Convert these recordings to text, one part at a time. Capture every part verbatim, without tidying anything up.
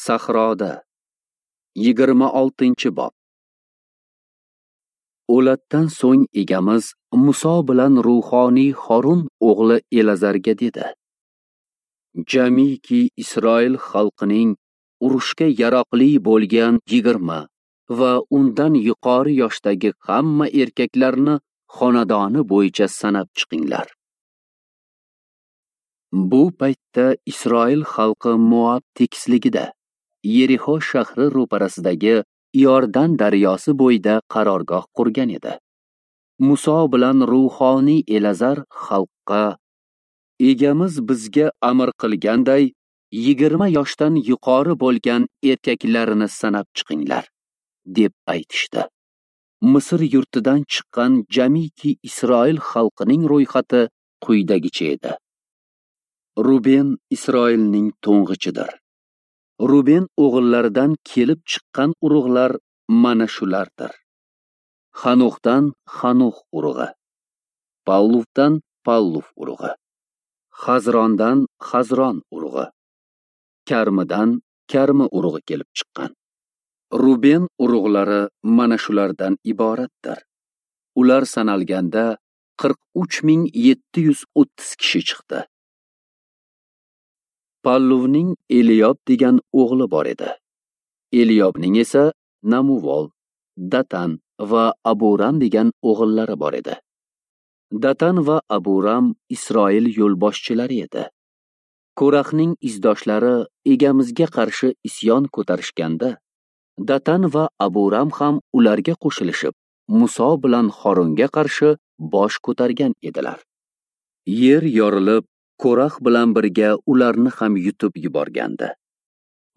Sahroda. Yigirma oltinchi bob. O'latdan so'ng egamiz Muso bilan ruhoniy Horun o'g'li Elazarga dedi: Jamiki Isroil xalqining urushga yaroqli bo'lgan yigirma va undan yuqori yoshdagi hamma erkaklarni xonadoni bo'yicha sanab chiqinglar. Bu paytda Isroil xalqi Moab tekisligida, Yerixo shahri ro'parasidagi Iordan daryosi bo'yida qarorgoh qurgan edi. Muso bilan ruhoniy Elazar xalqqa: Egamiz bizga amr qilganday yigirma yoshdan yuqori bo'lgan erkaklarni sanab chiqinglar, deb aytishdi. Misr yurtidan chiqqan jamiki Isroil xalqining ro'yxati quyidagicha edi. Ruben Isroilning to'ng'ichidir. Ruben o'g'illaridan kelib chiqqan urug'lar mana shulardir. Xanuxdan Xanux urug'i, Palluvdan Palluv urug'i, Xazrondan Xazron urug'i, Karmidan Karmi urug'i kelib chiqqan. Ruben urug'lari mana shulardan iboratdir. Ular sanalganda qirq uch ming yetti yuz o'ttiz kishi chiqdi. Palluvning Eliyob degan o'g'li bor edi. Eliyobning esa Namuvol, Datan va Aburam degan o'g'illari bor edi. Datan va Aburam Isroil yo'lboshchilari edi. Ko'raxning izdoshlari egamizga qarshi isyon ko'tarishganda, Datan va Aburam ham ularga qo'shilishib, Muso bilan Horunga qarshi bosh ko'targan edilar. Yer yorilib, Ko'rax bilan birga ularni ham yutib yuborgandi.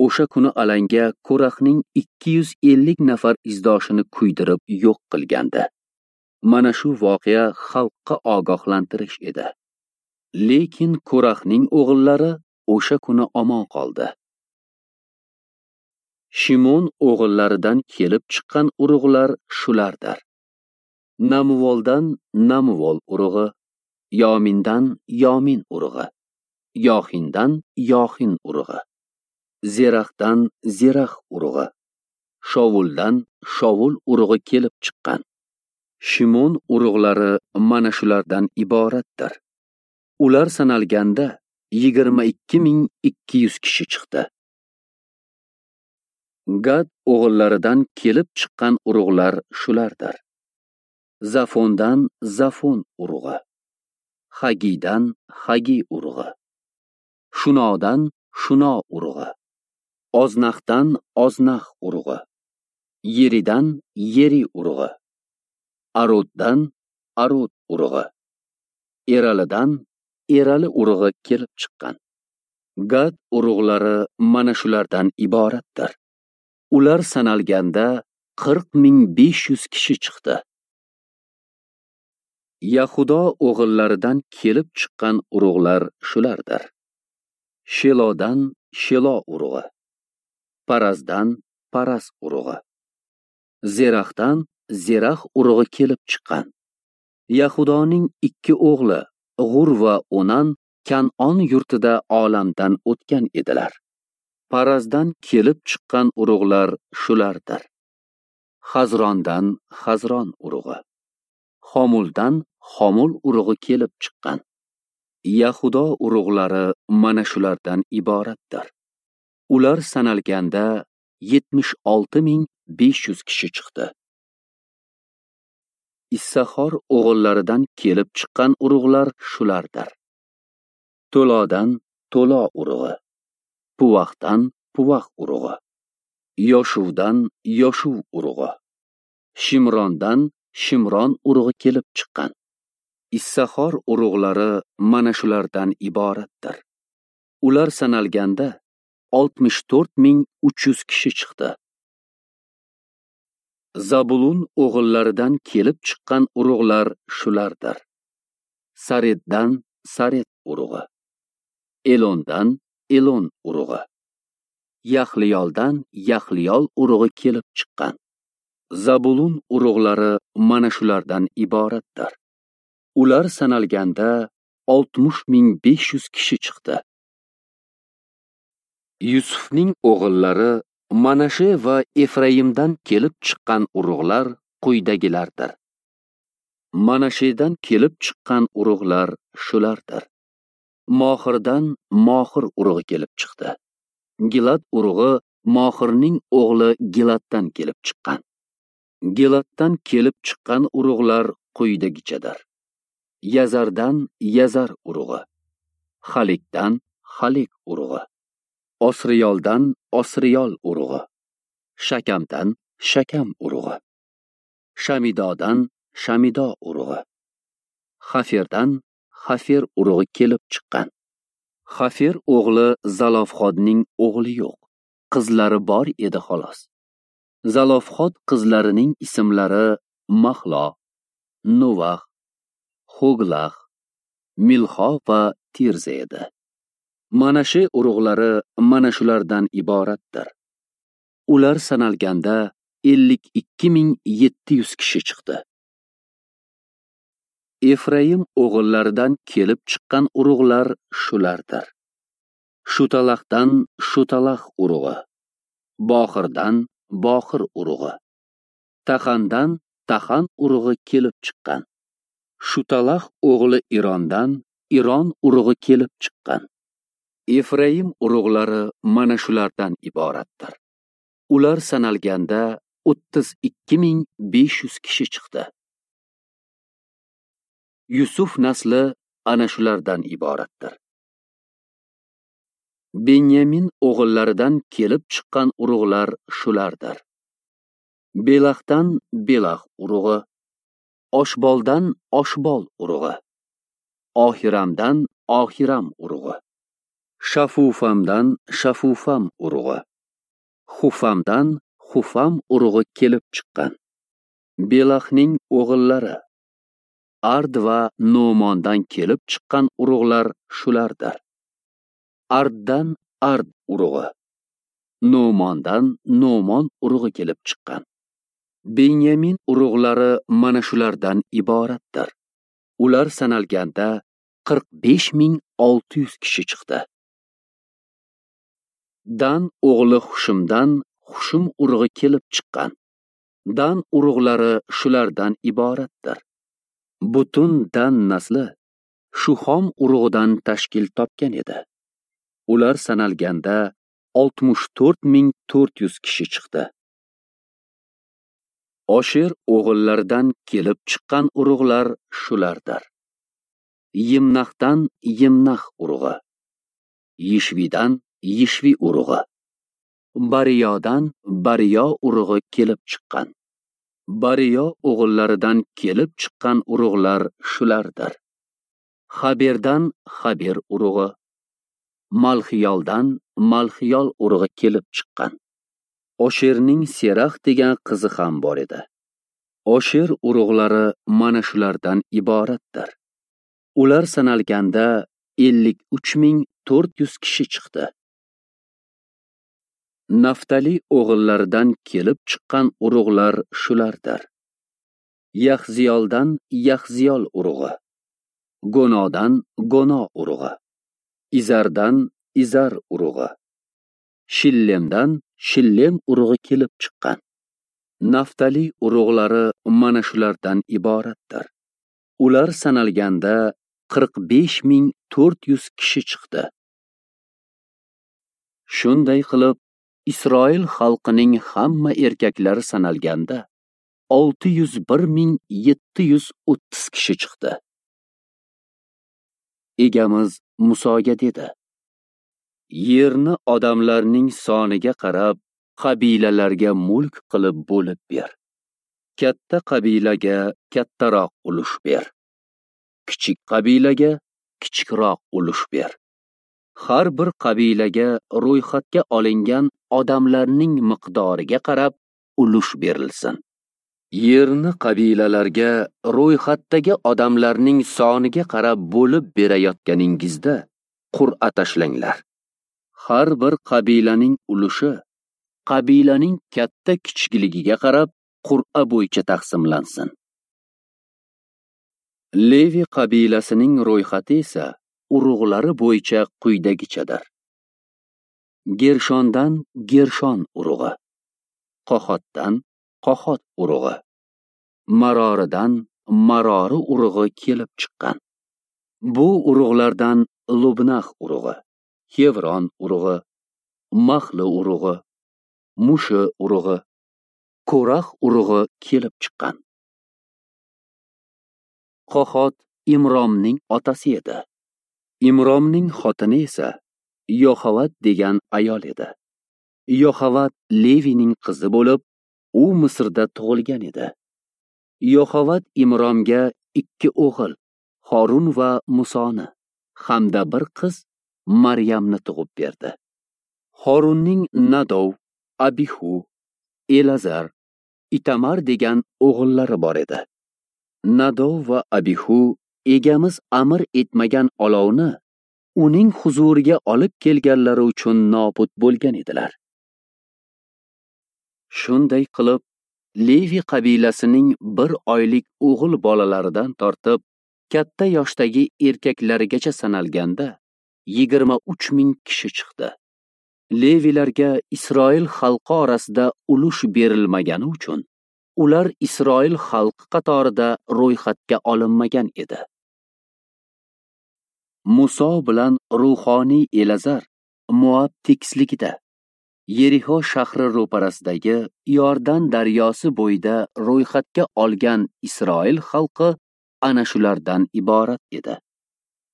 O'sha kuni alanga Ko'raxning ikki yuz ellik nafar izdoshini kuydirib yo'q qilgandi. Mana shu voqea xalqqa ogohlantirish edi. Lekin Ko'raxning o'g'illari o'sha kuni omon qoldi. Shimon o'g'illaridan kelib chiqqan urug'lar shulardir. Namuvoldan Namuvol urug'i, Yomindan Yomin urug'i, Yoxindan Yoxin urug'i, Zeraxdan Zerax urug'i, Shovuldan Shovul urug'i kelib chiqqan. Shimon urug'lari mana shulardan iboratdir. Ular sanalganda yigirma ikki ming ikki yuz kishi chiqdi. Gad o'g'illaridan kelib chiqqan urug'lar shulardir. Zafondan Zafon urug'i, Hagidan Hagi urug'i, Shunodan Shuno urug'i, Oznaxdan Oznax urug'i, Yeridan Yeri urug'i, Aroddan Arod urug'i, Eralidan Erali urug'i kelib chiqqan. Gad urug'lari mana shulardan iboratdir. Ular sanalganda qirq ming besh yuz kishi chiqdi. Yahudo o'g'illaridan kelib chiqqan urug'lar shulardir. Shelodan Shelo urug'i, Parazdan Paraz urug'i, Zeraxdan Zerax urug'i kelib chiqqan. Yahudoning ikki o'g'li G'ur va Onan Kan'on yurtida olamdan o'tgan edilar. Parazdan kelib chiqqan urug'lar shulardir. Xazrondan Xazron urug'i, Xomuldan Xomul urug'i kelib chiqqan. Yahudo urug'lari mana shulardan iboratdir. Ular sanalganda yetmish olti ming besh yuz kishi chiqdi. Issaxor o'g'illaridan kelib chiqqan urug'lar shulardir. To'lodan To'lo urug'i, Puvaxdan Puvax urug'i, Yoshuvdan Yoshuv urug'i, Shimrondan Shimron urug'i kelib chiqqan. Issaxor urug'lari mana shulardan iboratdir. Ular sanalganda oltmish to'rt ming uch yuz kishi chiqdi. Zabulun o'g'illaridan kelib chiqqan urug'lar shulardir. Sareddan Sared urug'i, Elondan Elon urug'i, Yaxliyoldan Yaxliyol urug'i kelib chiqqan. Zabulun urug'lari mana shulardan iboratdir. Ular sanalganda oltmish ming besh yuz kishi chiqdi. Yusufning o'g'illari Manashe va Efraimdan kelib chiqqan urug'lar quyidagilardir. Manashedan kelib chiqqan urug'lar shulardir. Mohirdan Mohir urug'i kelib chiqdi. Gilad urug'i Mohirning o'g'li Giladdan kelib chiqqan. Giladdan kelib chiqqan urug'lar quyidagichadir. Yazardan Yazar urug'i, Halikdan Halik urug'i, Osriyoldan Osriyol urug'i, Shakamdan Shakam urug'i, Shamidodan Shamido urug'i, Xaferdan Xafer urug'i kelib chiqqan. Xafer o'g'li Zalofxodning o'g'li yo'q, qizlari bor edi xolos. Zalofxod qizlarining ismlari Mahlo, Nuvax, Hoglax, Milxo va Tirza edi. Manashe urug'lari mana shulardan iboratdir. Ular sanalganda ellik ikki ming yetti yuz kishi chiqdi. Efraim o'g'illaridan kelib chiqqan urug'lar shulardir. Shutalaxdan Shutalax urug'i, Boxirdan Boxir urug'i, Taxandan Taxan urug'i kelib chiqqan. Shutalax o'g'li Irondan Iron urug'i kelib chiqqan. Efraim urug'lari mana shulardan iboratdir. Ular sanalganda o'ttiz ikki ming besh yuz kishi chiqdi. Yusuf nasli ana shulardan iboratdir. Benyamin o'g'illaridan kelib chiqqan urug'lar shulardir. Belaxdan Belax urug'i, Oshboldan Oshbol urug'i, Ohiramdan Ohiram urug'i, Shafufamdan Shafufam urug'i, Xufamdan Xufam urug'i kelib chiqqan. Belaxning o'g'illari Ard va Nomondan kelib chiqqan urug'lar shulardir. Arddan Ard urug'i, Nomondan Nomon urug'i kelib chiqqan. Benyamin urug'lari mana shulardan iboratdir. Ular sanalganda qirq besh ming olti yuz kishi chiqdi. Dan o'g'li Hushimdan Hushim urug'i kelib chiqqan. Dan urug'lari shulardan iboratdir. Butun Dan nasli Shuhom urug'idan tashkil topgan edi. Ular sanalganda oltmish to'rt ming to'rt yuz kishi chiqdi. Osher o'g'illaridan kelib chiqqan urug'lar shulardir. Yimnaxdan Yimnax urug'i, Yishvidan Yishvi urug'i, Bariyodan Bariyo urug'i kelib chiqqan. Bariyo o'g'illaridan kelib chiqqan urug'lar shulardir. Xaberdan Xaber urug'i, Malxiyoldan Malxiyol urug'i kelib chiqqan. Osherning Serax degan qizi ham bor edi. Osher urug'lari mana shulardan iboratdir. Ular sanalganda ellik uch ming to'rt yuz kishi chiqdi. Naftali o'g'illaridan kelib chiqqan urug'lar shulardir. Yaxziyoldan Yaxziyol urug'i, Gonodan Gono urug'i, Izardan Izar urug'i, Shillemdan Shillem urug'i kelib chiqqan. Naftali urug'lari mana shulardan iboratdir. Ular sanalganda qirq besh ming to'rt yuz kishi chiqdi. Shunday qilib, Isroil xalqining hamma erkaklari sanalganda olti yuz bir ming yetti yuz o'ttiz kishi chiqdi. Egamiz Musoga dedi: Yerni odamlarning soniga qarab qabilalarga mulk qilib bo'lib ber. Katta qabilaga kattaroq ulush ber. Kichik qabilaga kichikroq ulush ber. Har bir qabilaga ro'yxatga olingan odamlarning miqdoriga qarab ulush berilsin. Yerni qabilalarga ro'yxatdagi odamlarning soniga qarab bo'lib berayotganingizda qur'a tashlanglar. Har bir qabilaning ulushi qabilaning katta kichikligiga qarab qur'a bo'yicha taqsimlansin. Levi qabilasining ro'yxati esa urug'lari bo'yicha quyidagichadir. Gershondan Gershon urug'i, Qohotdan Qohot urug'i, Maroridan Marori urug'i kelib chiqqan. Bu urug'lardan Lubnax urug'i, Xevron urug'i, Mahli urug'i, Mushi urug'i, Ko'rax urug'i kelib chiqqan. Qohot Imromning otasi edi. Imromning xotini esa Yoxavat degan ayol edi. Yoxavat Levining qizi bo'lib, u Misrda tug'ilgan edi. Yoxavat Imromga ikki o'g'il, Horun va Musoni hamda bir qiz Maryamni tug'ib berdi. Horunning Nadov, Abihu, Elazar, Itamar degan o'g'illari bor edi. Nadov va Abihu egamiz amr etmagan olovni uning huzuriga olib kelganlari uchun nobud bo'lgan edilar. Shunday qilib, Levi qabilasining bir oylik o'g'il bolalaridan tortib katta yoshdagi erkaklarigacha sanalganda yigirma uch ming kishi chiqdi. Levilarga Isroil xalqi orasida ulush berilmagani uchun ular Isroil xalqi qatorida ro'yxatga olinmagan edi. Muso bilan ruhoniy Elazar Moab tekisligida, Yerixo shahri ro'parasidagi Iordan daryosi bo'yida ro'yxatga olgan Isroil xalqi ana shulardan iborat edi.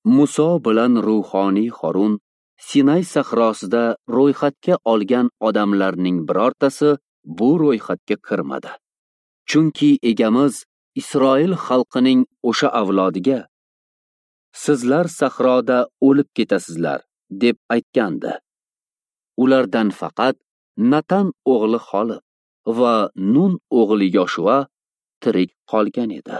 Muso bilan ruhoniy Horun Sinay sahrosida ro'yxatga olgan odamlarning birortasi bu ro'yxatga kirmadi. Chunki egamiz Isroil xalqining o'sha avlodiga sizlar sahroda o'lib ketasizlar deb aytgandi. Ulardan faqat Natan o'g'li Xolib va Nun o'g'li Yoshua tirik qolgan edi.